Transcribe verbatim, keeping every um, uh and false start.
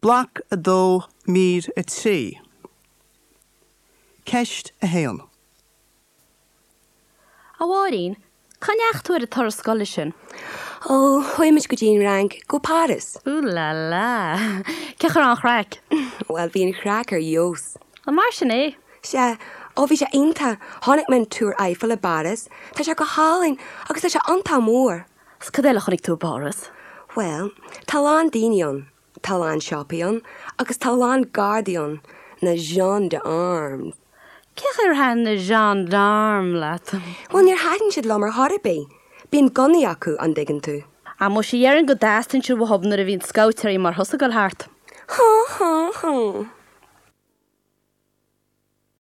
Bloc a dó mír a trí. Ceist a haon. A Mháirín, cá ndeachaigh tú ar an turas scoile sin? Ó, chuaigh muid go dtí an Fhrainc, go Páras. Ooh la la. Cén chaoi a raibh an chraic? Well bhí an chraic ar fheabhas. An mar sin é? Sea, ó bhí sé iontach, chonaic mé an Túr Eiffel i bPáras, tá sé go hálainn agus tá sé iontach mór. 'S cad eile a chonaic tú i bPáras? Well, tá a lán daoine ann, tá a lán siopaí ann, agus tá a lán gardaí ann, na gendarmes. Cén chaoi ar thaitin na gendarmes leat? Well níor thaitin siad liom ar chor ar bith, bíonn gunnaí acu an dtuigeann tú. Á muise déarfainn go dteastaíonn siad uathu nuair a bhíonn scabhtéirí mar thusa ag dul thart. Ha ha ha.